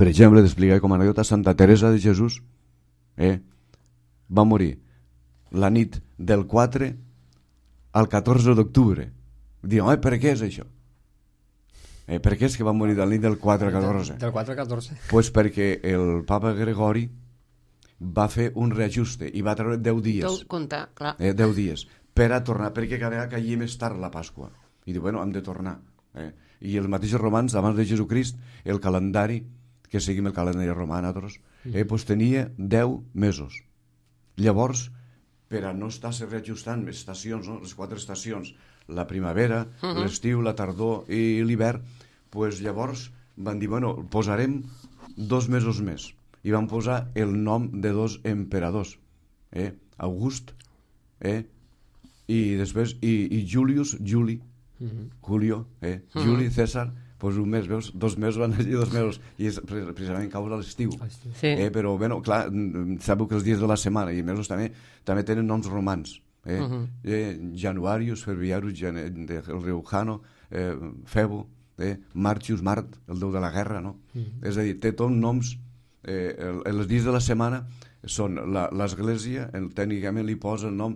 per exemple, d'explicar com a anècdota, Santa Teresa de Jesús eh, va morir la nit del quatre al catorze d'octubre. Diuen, oi, per què és això? Eh, per què és que va morir del nit del quatre al catorze? Del quatre al catorze. Doncs pues perquè el papa Gregori va fer un reajuste i va treure deu dies. Deu comptar, clar. Eh, deu dies, per a tornar, perquè cada vegada caia més tard la Pasqua. I diu, bueno, hem de tornar. Eh? I els mateixos romans, abans de Jesucrist, el calendari, que seguim el calendari romà, nosaltres, eh, pues tenia deu mesos. Llavors, per a no estar-se reajustant estacions, no? Les quatre estacions, la primavera, uh-huh. l'estiu, la tardor i l'hivern, pues llavors van dir, bueno, posarem dos mesos més. I van posar el nom de dos emperadors, eh? August, eh? i després, i, i Julius, Juli, uh-huh. Julio, eh? uh-huh. Juli, César, pues un mes, veus, dos mesos van allí, dos mesos, i és, precisament cau a l'estiu. Sí. Eh, però, bueno, clar, sabeu que els dies de la setmana i mesos també també tenen noms romans. Eh? Uh-huh. eh, Januarius, Ferviarus, Jan... el riu Jano, eh, Febo, eh, Martius, Mart, el déu de la guerra, no? Uh-huh. És a dir, té tots noms, eh, el, els dies de la setmana són l'església, tècnicament li posa el nom,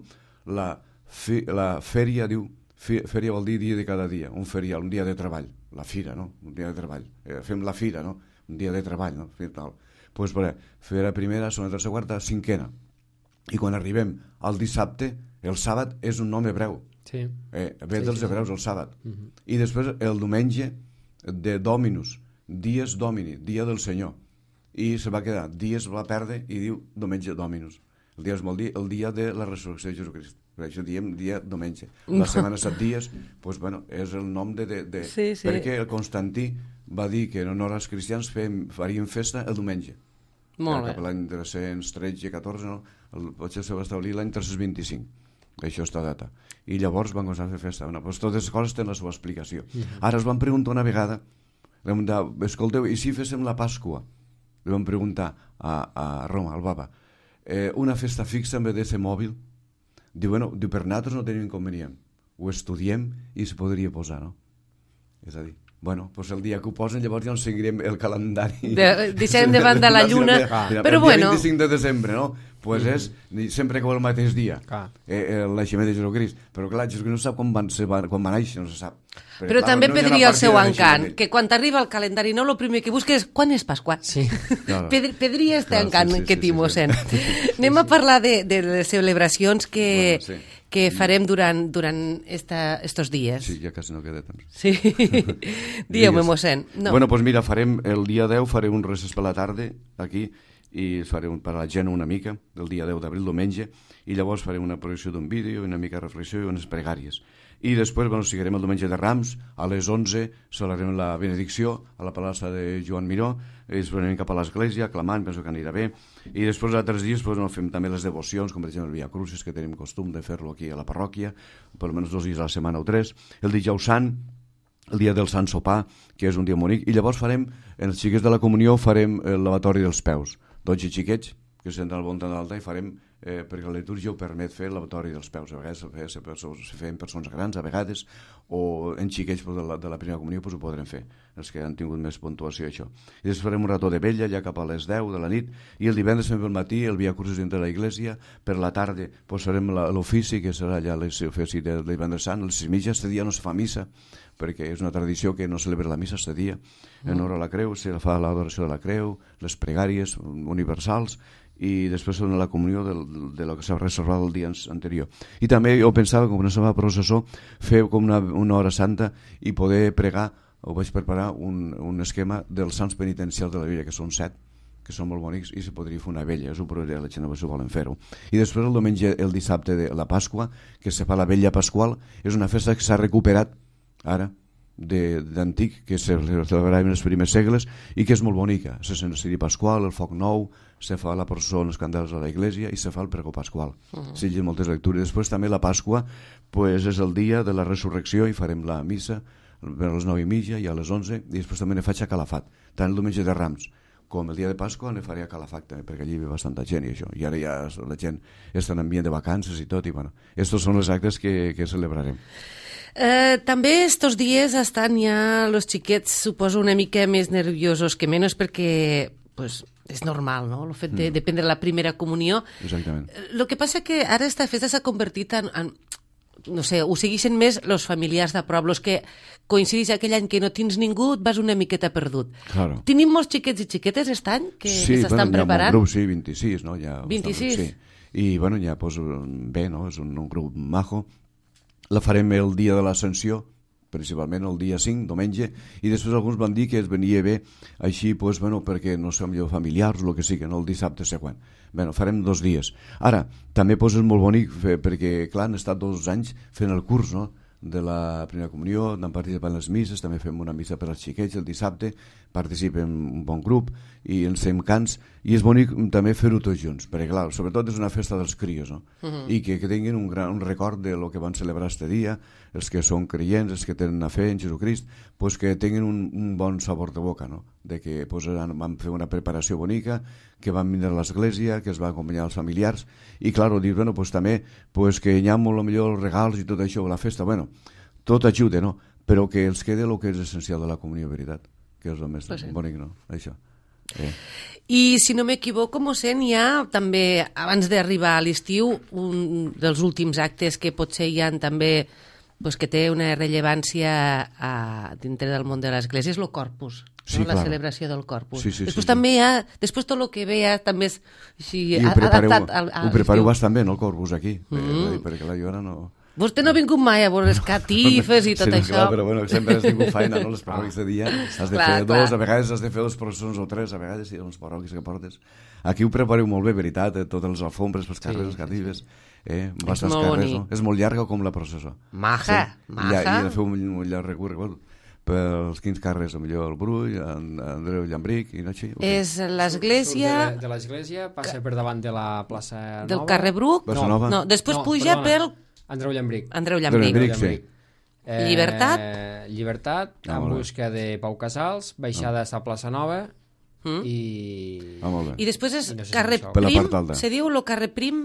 la, fi, la fèria, diu, fi, fèria vol dir dia de cada dia, un ferial, un dia de treball, la fira, no? Un dia de treball, eh, fem la fira, no? Un dia de treball, no? Tal. Pues, per, fera primera, segona, tercera, quarta, cinquena. I quan arribem al dissabte, el sàbat és un nom hebreu. Sí. Eh, ve sí, dels sí, hebreus, sí. el sàbat. Uh-huh. I després el diumenge de Dominus, dies Domini, dia del Senyor. I se va quedar, dies va perdre i diu diumenge Dominus. El dia es vol dir el dia de la resurrecció de Jesucrist. Per això diem dia diumenge. La setmana set dies, pues, bueno, és el nom de... de, de sí, sí. Perquè el Constantí va dir que en honor als cristians fem, farien festa el diumenge. Molt Cap bé. a l'any tres-cents tretze catorze, no? El, potser se va establir l'any tres-cents vint-i-cinc. Això està data. I llavors van començar a fer festa. Bueno, pues totes les coses tenen la seva explicació. Uh-huh. Ara es van preguntar una vegada, vam dir, escolteu, i si féssim la Pasqua? Li vam preguntar a, a Roma, al Papa, eh, una festa fixa en vez de ser mòbil? Diu, bueno, diu, per nosaltres no tenim inconvenient. Ho estudiem i se podria posar, no? És a dir, bueno, pues el dia que ho posen llavors ja ens seguirem el calendari. De, deixem de banda la lluna, ah. però el bueno... El vint-i-cinc de desembre, no? Pues és sempre que va el mateix dia, ah. eh, eh, l'aixement de Jesucrist. Però clar, Jesucrist no sap quan van, se va, quan va néixer, no se sap. Però, però clar, també no perdria el seu encant, que quan t'arriba el calendari no, el primer que busques és quan és Pasqua. Sí. Claro. Perdria este Claro, encant sí, sí, que sí, t'hi sí, mossèn. sí. Anem a parlar de, de les celebracions que, Bueno, sí. que farem durant, durant esta, estos dies. Sí, ja quasi no queda temps. Sí. Dieu-me, mossèn. No. Bueno, pues mira, farem el dia deu, farem un recés per la tarda, aquí, i farem per a la gent una mica, el dia deu d'abril, diumenge, i llavors farem una projecció d'un vídeo, una mica de reflexió i unes pregàries. I després, bueno, seguirem el diumenge de Rams, a les onze celebrarem la benedicció a la plaça de Joan Miró, i després anem cap a l'església, clamant, penso que anirà bé, i després els altres dies pues, no, fem també les devocions, com per exemple el Via Crucis, que tenim costum de fer-lo aquí a la parròquia, per almenys dos dies a la setmana o tres, el dijous sant, el dia del Sant Sopar, que és un dia bonic, i llavors farem, en els xiquets de la comunió, farem el lavatori dels peus, dotze xiquets, que senten al voltant de l'altar, i farem, eh, perquè la litúrgia ho permet fer el lavatori dels peus, a vegades se, se, se feien persones grans, a vegades, o en xiquets pues, de, la, de la primera comunió pues, ho podrem fer, els que han tingut més puntuació això. I després farem un rató de vella, ja cap a les deu de la nit, i el divendres fem pel matí el Via Crucis dintre de la iglesia, per la tarda pues, farem l'ofici, que serà ja l'ofici del divendres sant, els sis mitja, este dia no se fa missa, perquè és una tradició que no celebra la missa este dia, en honor a la creu, se fa l'adoració de la creu, les pregàries universals, i després són la comunió del, de lo que s'ha reservat el dia anterior. I també jo pensava, com no se va a processó, fer com una, una hora santa i poder pregar, o vaig preparar un, un esquema dels sants penitencials de la Bíblia, que són set, que són molt bonics, i se podria fer una vella, és un progrés, la gent si volen fer-ho. I després el diumenge, el dissabte de la Pasqua, que se fa la vella pasqual, és una festa que s'ha recuperat ara, d'antic, que se celebrava en els primers segles i que és molt bonica. Se sent el ciri pasqual, el foc nou, se fa la processó en els candels a la iglesia i se fa el pregó pasqual. Uh-huh. Se llegeixen moltes lectures. Després també la Pasqua pues, és el dia de la resurrecció i farem la missa a les nou i mitja i a les onze, i després també ne faig a Calafat, tant el diumenge de Rams com el dia de Pasqua ne faré a Calafat també, perquè allí ve bastanta gent i això, i ara ja la gent està en ambient de vacances i tot, i bueno, estos són els actes que, que celebrarem. Eh, també estos dies estan ja los xiquets, suposo, una mica més nerviosos que menys, perquè pues, és normal, no?, el fet de, mm. de prendre la primera comunió. Exactament. El que passa que ara esta festa s'ha convertit en, en no sé, ho segueixen més els familiars de prop, els que coincideix aquell any que no tens ningú, et vas una miqueta perdut. Claro. Tenim molts xiquets i xiquetes aquest any que sí, s'estan bueno, preparant? Sí, un grup, sí, vint-i-sis, no? Ja vint-i-sis? Sí. I, bueno, ja, pues, bé, no?, és un, un grup majo. La farem el dia de l'Ascensió, principalment el dia cinc, diumenge, i després alguns van dir que es venia bé així, pues, bueno, perquè no som jo familiars, el que sigui, no el dissabte següent. Bueno, farem dos dies. Ara, també pues, és molt bonic, fer, perquè, clar, han estat dos anys fent el curs, no?, de la primera comunió, anem participant en les misses, també fem una missa per als xiquets el dissabte, participem un bon grup i ens fem cants, i és bonic també fer-ho tots junts, perquè clar, sobretot és una festa dels crios, no? Uh-huh. I que, que tinguin un, gran, un record de lo que van celebrar este dia, els que són creients, els que tenen una fe en Jesucrist, pues que tinguin un, un bon sabor de boca, no? De que pues, van fer una preparació bonica, que van vindre a l'església, que es va acompanyar els familiars, i clar, dir, bueno, pues, també pues, que hi ha molt millor els regals i tot això, la festa, bueno, tot ajuda, no? Però que els quede el que és essencial de la comunió, veritat, que és el més pues sí. bonic, no? Això. Eh. I si no m'equivoco, mossèn, hi ha també, abans d'arribar a l'estiu, un dels últims actes que potser hi ha també pues, que té una rellevància a, dintre del món de l'Església, és el Corpus, sí, no? La clar. celebració del Corpus. Sí, sí, després sí, també sí. hi ha, després tot el que ve ja també és així, I ho prepareu, adaptat al, a ho prepareu bastant bé, no, el Corpus aquí, mm. perquè, perquè la jo ara no... Vostè no ha vingut mai a veure les catifes i tot sí, això. Clar, però bueno, sempre has tingut feina, no? Les parròquies de dia has de clar, fer clar. dos, a vegades has de fer dos processons o tres, a vegades sí, les parròquies que portes. Aquí ho prepareu molt bé, veritat, eh? Totes les alfombres, els carrers, les catifes, eh? bastants carrers, no? És molt llarga com la processó. Maja, sí. maja. I, i de fer un, un llarg recorregut pels quins carrers, millor el Brull, en Andreu Llambric i no així. És l'església... De, de l'església, passa per davant de la plaça Nova. Del carrer Bruc? Plaça Nova? No, després no, puja perdona. pel... Andreu Llambric. Andreu Llambric. Andreu Llambric, sí. Eh, Llibertat? Llibertat, ah, en busca de Pau Casals, baixada a Plaça Nova mm. i... Ah, molt bé. I després és no sé si carrer això. Prim, se diu el carrer Prim?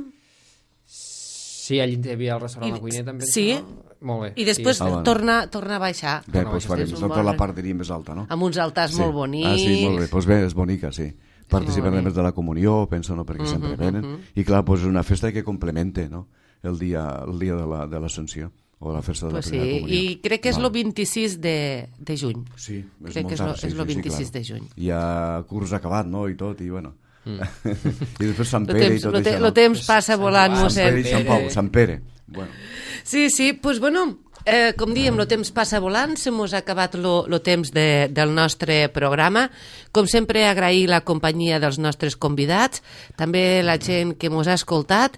Sí, allí hi havia el restaurant La Cuineta, em penso, sí. no? Molt bé. I després sí. ah, bueno. torna, torna a baixar. Bé, doncs farem tota la part diria més alta, no? Amb uns altars sí. molt bonics. Ah, sí, molt bé, doncs bé, és bonica, sí. Participen més de la comunió, penso, no? Perquè uh -huh, sempre venen. Uh -huh. I clar, doncs és una festa que complemente, no? El dia, el dia de l'Ascensió, o la festa de pues la primera sí. comunió. I crec que és el Val. vint-i-sis de, de juny. Sí, és crec molt que és tard. lo, Sí, és el sí, vint-i-sis sí, de juny. Hi ha curs acabat, no?, i tot, i bueno... Mm. I després Sant Lo Pere temps, i tot lo te, això. Lo no? temps passa volant, Sant Sant Pere mossèn. i Sant Pau, Sant Pere. Bueno. Sí, sí, doncs pues, bueno, eh, com dèiem, el temps passa volant, se mos ha acabat el temps de, del nostre programa. Com sempre, agrair la companyia dels nostres convidats, també la gent que mos ha escoltat,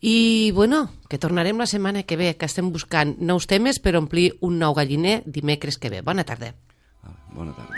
i, bueno, que tornarem la setmana que ve, que estem buscant nous temes per omplir un nou galliner dimecres que ve. Bona tarda. Ah, bona tarda.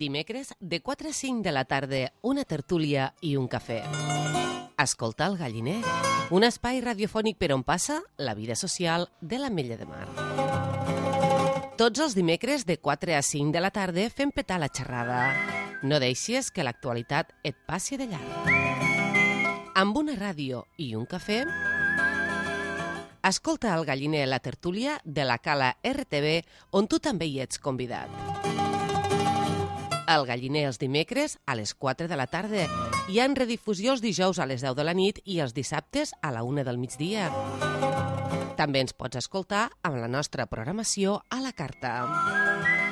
Dimecres, de quatre a cinc de la tarda, una tertúlia i un cafè. Escolta el galliner, un espai radiofònic per on passa la vida social de l'Ametlla de Mar. Tots els dimecres, de quatre a cinc de la tarda, fem petar la xerrada. No deixis que l'actualitat et passi de llarg. Amb una ràdio i un cafè, escolta el galliner la tertúlia de la Cala R T V, on tu també hi ets convidat. El galliner els dimecres a les quatre de la tarda. Hi ha en redifusió els dijous a les deu de la nit i els dissabtes a la una del migdia. També ens pots escoltar amb la nostra programació a la carta.